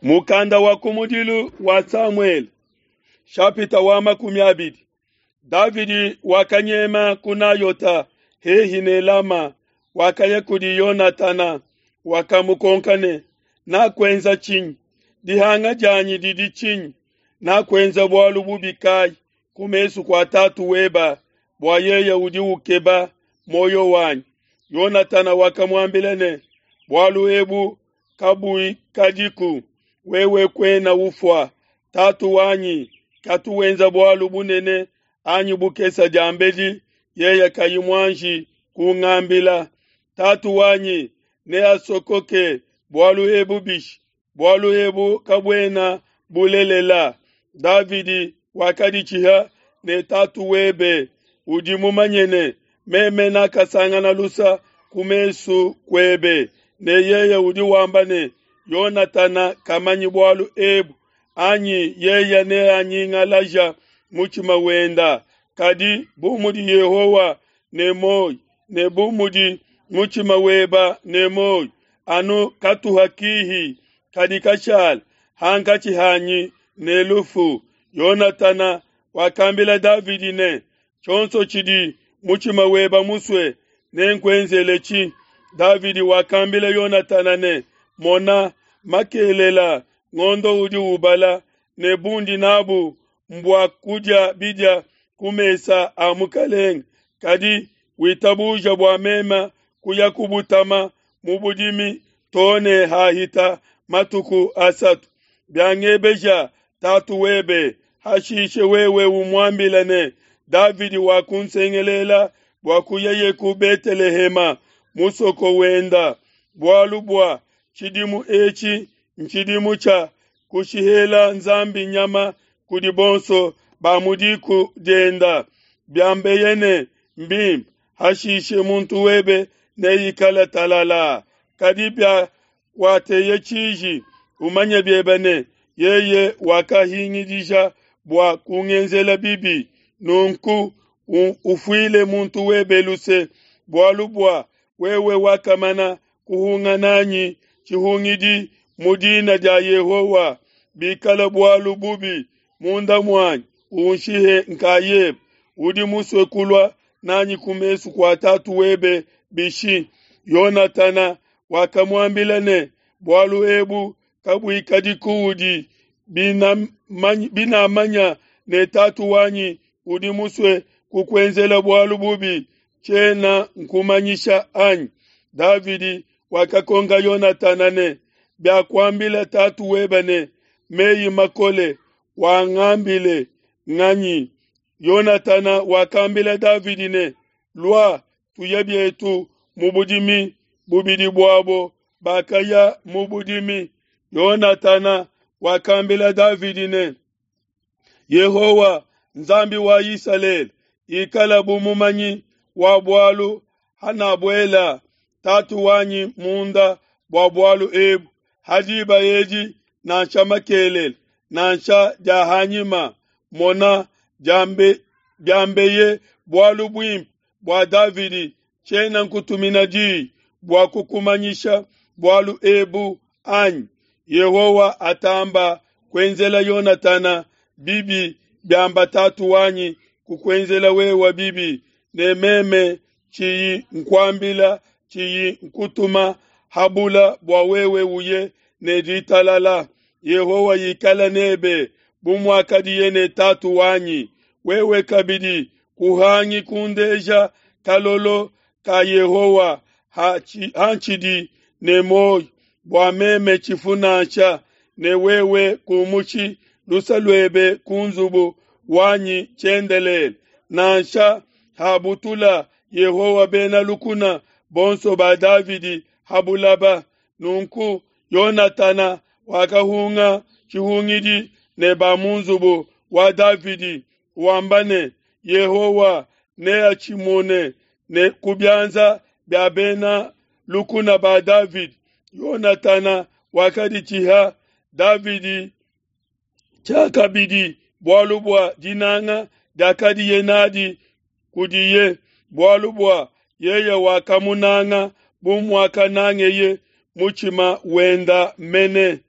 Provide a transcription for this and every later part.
Mukanda wa kumudilu wa Samuele, shapita wa 20. Davidi wakanyema ku Nayota hehi ne Lama, wakaya kudi Yonatana, wakamukonka ne, Nakuenza tshinyi? Dihanga dianyi didi tshinyi? Nakuenza bualu bubi kai ku mesu kua tatu weba, bua yeye udi ukeba muoyo wanyi? Yonatana wakamuambila ne, Bualu ebu kabuikadiku, wewe kuena ufua. Tatu wanyi katu wenza bualu bunene anyi bukesa diambedi yeye kayi muanji kungambila. Tatu wanyi neasokoke bualu ebu bishi? Bualu ebu kabuena bulelela. Davidi wakaditshiha ne tatu webe, udi mumanye ne, meme nakasangana lusa ku mesu kuebe, ne yeye udi wamba ne, Yonatana kamanyi bualu ebu, anyi yeye neanyingalaja mutshima wenda. Kadi bu mudi Yehowa ne muoyo, ne bu mudi mutshima weba ne muoyo, anu katuha kihi kadi kashala hankatshi hanyi ne lufu. Yonatana wakambila Davidi ne, Tshionso tshidi mutshima weba musue nenkuenzeletshi. Davidi wakambila Yonatana ne, Mona, makelela ngondo udi ubala, ne bundi nabu mbua kudia bidia ku mesa a mukelenge. Kadi witabuja bua meme kuya kubutama mu budimi to ne hahita matuku asatu. Biangebeja tatu webe, hashishe wewe umuambila ne, Davidi wakunsengelela bua kuyaye ku Betelehema, musoko wenda, bualu bua tshidimu etshi ntshidimu tshia kushihela Nzambi nyama kudi bonso ba mu diku dienda. Biambeye ne, Mbimpe, hashishe muntu webe neikale talala. Kadi biakuateye tshiji, umanye biebe ne, yeye wakahingidija bua kungenzela bibi. Nunku ufuile muntu webe luse, bualu bua wewe wakamana kuhunga nanyi tshihungidi mu dina dia Yehowa. Bikala bualu bubi munda muanyi, unshihe nkayebe. Udi musue kulua nanyi ku mesu kua tatu webe bishi? Yonatana wakamuambila ne, Bualu ebu kabuikadi kuudi, binamanya ne tatu wanyi udi musue kukuenzela bualu bubi, tshiena nkumanyisha anyi? Davidi wakakonka Yonatana ne, Biakuambila tatu webe ne meyi makole, wangambile nganyi? Yonatana wakambila Davidi ne, Lua, tuye bietu mu budimi. Bubidi buabo bakaya mu budimi. Yonatana wakambila Davidi ne, Yehowa, Nzambi wa Isalele, ikala bu mumanyi wa bualu hanabuela tatu wanyi munda bua bualu ebu, ha diba edi nansha makelele nansha dia hanyima. Mona, diambeye bualu buimpe bua Davidi, tshiena nkutumina diyi bua kukumanyisha bualu ebu anyi? Yehowa atamba kuenzela Yonatana bibi biamba tatu wanyi kukuenzela wewe bibi, ne meme tshiyi nkuambila tshiyi nkutuma habula bua wewe uye ne ditalala. Yehowa ikala nebe bu muakadiye ne tatu wanyi. Wewe kabidi kuhangi kundeja kalolo ka Yehowa hantshidi ne muoyo, bua meme tshifu nansha, ne wewe kumushi lusa luebe ku nzubu wanyi tshiendelele. Nansha habutula Yehowa bena lukuna bonso ba Davidi habulaba. Nunku Yonatana wakahunga tshihungidi ne ba mu nzubu wa Davidi, wamba ne, Yehowa neatshimune ne ku bianza bia bena lukuna ba Davidi. Yonatana wakaditshiha Davidi tshiakabidi bualu bua dinanga diakadiye nadi kudiye, bualu bua yeye wakamunanga bu muakanangeye mutshima wenda mene.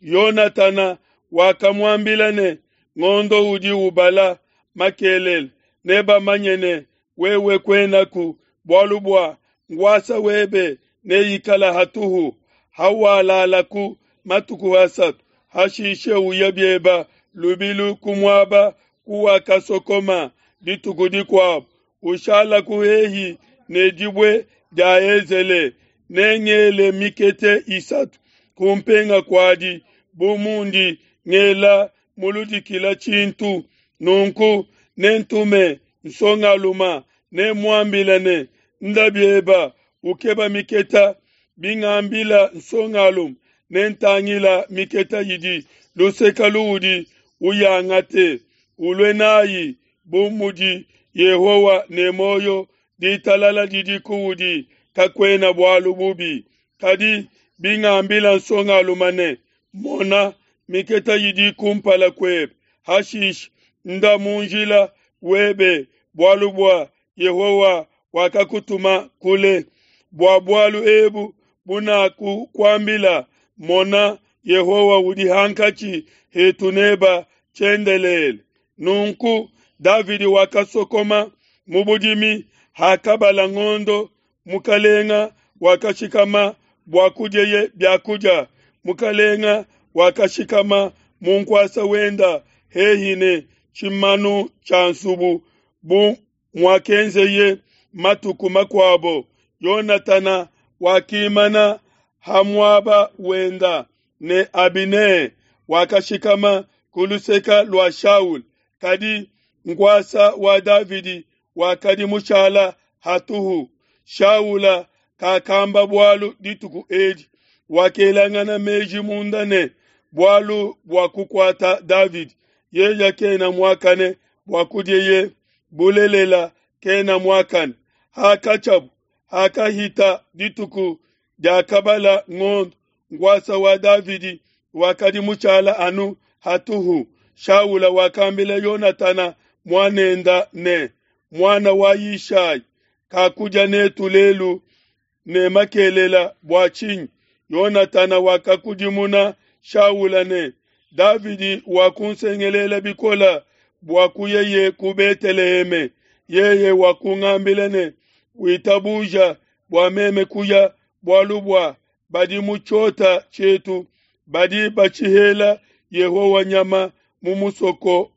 Yonatana wakamuambila ne, Ngondo udi ubala makelela, nebamanye ne, Wewe kuenaku, bualu bua nkuasa webe neikale hatuhu. Hawalalaku matuku asatu, hashishe uye biebe lubilu ku muaba kuwakasokoma dituku dikuabo, ushalaku hehi ne dibue dia Ezele. Nengele mikete isatu kumpenga kuadi bu mundi ngela muludikila tshintu. Nunku nentume nsongaluma, nemuambile ne, Nda bieba ukeba miketa. Bingambila nsongalume, nentangila miketa idi luseka luudi uyangate, ulue nayi. Bu mudi Yehowa ne muoyo, ditalala didi kuudi, kakuena bualu bubi. Kadi bingambila nsongalume ne, Mona, miketa idi kumpala kuebe, hashishe nda mu njila webe, bualu bua Yehowa wakakutuma kule. Bua bualu ebu bunakukuambila, mona, Yehowa udi hankatshi hetu neba tshiendelele. Nunku Davidi wakasokoma mu budimi hakabala ngondo, mukalenga wakashikama bua kudieye bia kudia. Mukalenga wakashikama mu nkuasa wenda hehi ne tshimanu tshia nsubu bu muakenzeye matuku makuabo. Yonatana wakimana ha muaba wenda ne Abine wakashikama ku luseke lua Shaul, kadi nkuasa wa Davidi wakadi mushala hatuhu. Shaula kakamba bualu dituku edi, wakelangana meji munda ne, Bualu bua kukuata Davidi, yeye kena muakane bua kudieye, bulelela kena muakane. Hakatshiabu, hakahita dituku diakabala ngondo, nkuasa wa Davidi wakadi mushala anu hatuhu. Shaula wakambila Yonatana muanenda ne, Muana wa Yishai kakudia netu lelu ne makelela bua tshinyi? Yonatana wakakudimuna Shaula ne, Davidi wakunsengelela bikole bua kuyeye ku Beteleheme. Yeye wakungambila ne, Witabuja bua meme kuya, bualu bua badi mu tshiota tshietu badi batshihela Yehowa nyama mu musoko.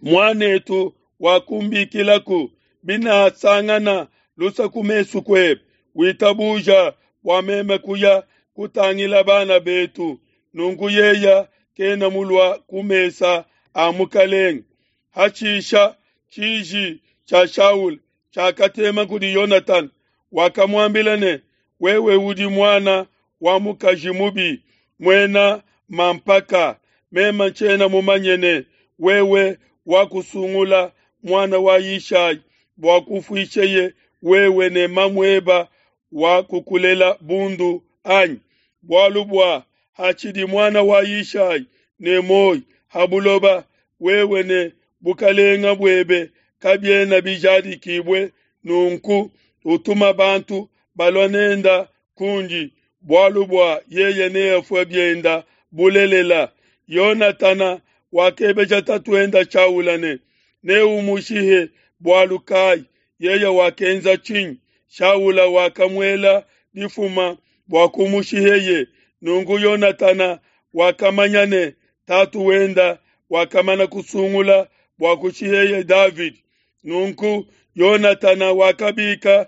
Muan'etu wakumbikilaku, binasangana lusa ku mesu kuebe, witabuja bua meme kuya kutangila bana betu. Nunku yeya kena mulua ku mesa a mukalenge. Hashisha tshiji tshia Shaula tshiakatema kudi Yonatana, wakamuambila ne, Wewe udi muana wa mukaji mubi, muena mampaka. Meme ntshiena mumanye ne, wewe wakusungula muana wa Yishai bua kufuisheye wewe ne mamueba wa kukulela bundu anyi? Bualu bua hatshidi muana wa Yishai ne muoyo ha buloba, wewe ne bukalenga buebe kabiena bijadikibue. Nunku utuma bantu balua nenda kundi, bualu bua yeye neafue bienda bulelela. Yonatana wakebeja tatuenda Shaula ne, Neumushihe bualu kai? Yeye wakenza tshinyi? Shaula wakamuela difuma bua kumushiheye. Nunku Yonatana wakamanya ne, tatu wenda wakamana kusungula bua kushiheye Davidi. Nunku Yonatana wakabika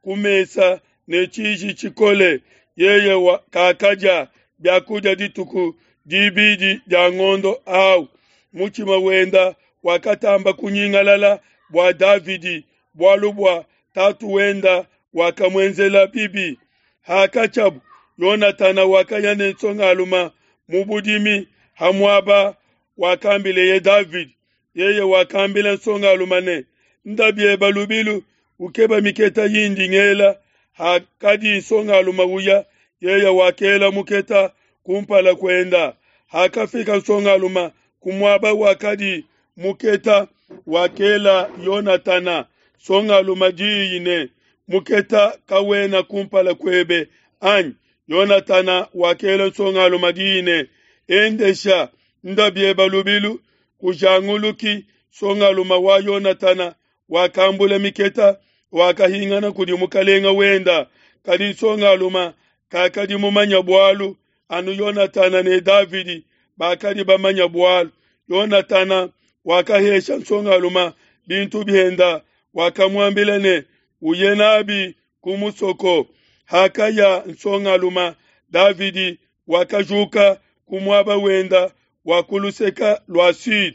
ku mesa ne tshiji tshikole, yeye kakadia biakudia dituku dibidi dia ngondo au. Mutshima wenda wakatamba kunyingalala bua Davidi, bualu bua tatu wenda wakamuenzela bibi. Hakatshiabu, Yonatana wakaya ne nsongalume mu budimi ha muaba wakambileye Davidi. Yeye wakambila nsongalume ne, Nda bieba lubilu ukeba miketa yindi ngela. Hakadi nsongalume uya, yeye wakela muketa kumpala kuenda. Hakafika nsongalume ku muaba wakadi muketa, wakela Yonatana nsongalume diyi ne, Muketa kawena kumpala kuebe anyi? Yonatana wakela nsongalume diyi ne, Endesha, nda bieba lubilu, kujanguluki. Nsongalume wa Yonatana wakambula miketa, wakahingana kudi mukalenga wenda. Kadi nsongalume kakadi mumanya bualu, anu Yonatana ne Davidi bakadi bamanya bualu. Yonatana wakahesha nsongalume bintu bienda, wakamuambila ne, Uye nabi ku musoko. Hakaya nsongalume, Davidi wakajuka ku muaba wenda wa ku luseke lua Sud,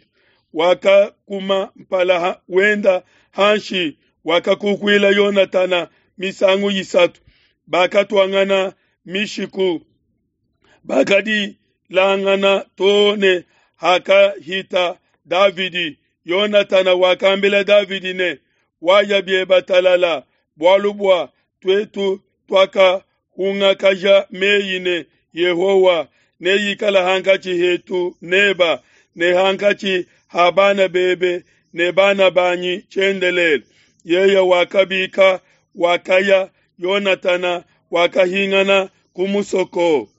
wakakuma mpala wenda hanshi, wakakukuila Yonatana misangu isatu. Bakatuangana mishiku, bakadilangana too ne hakahita Davidi. Yonatana wakambila Davidi ne, Waya bieba talala, bualu bua tuetu tuakahungakaja meyi ne Yehowa neikale hankatshi hetu neba ne hankatshi ha bana bebe ne bana banyi tshiendelele. Yeye wakabika, wakaya, Yonatana wakahingana ku musoko.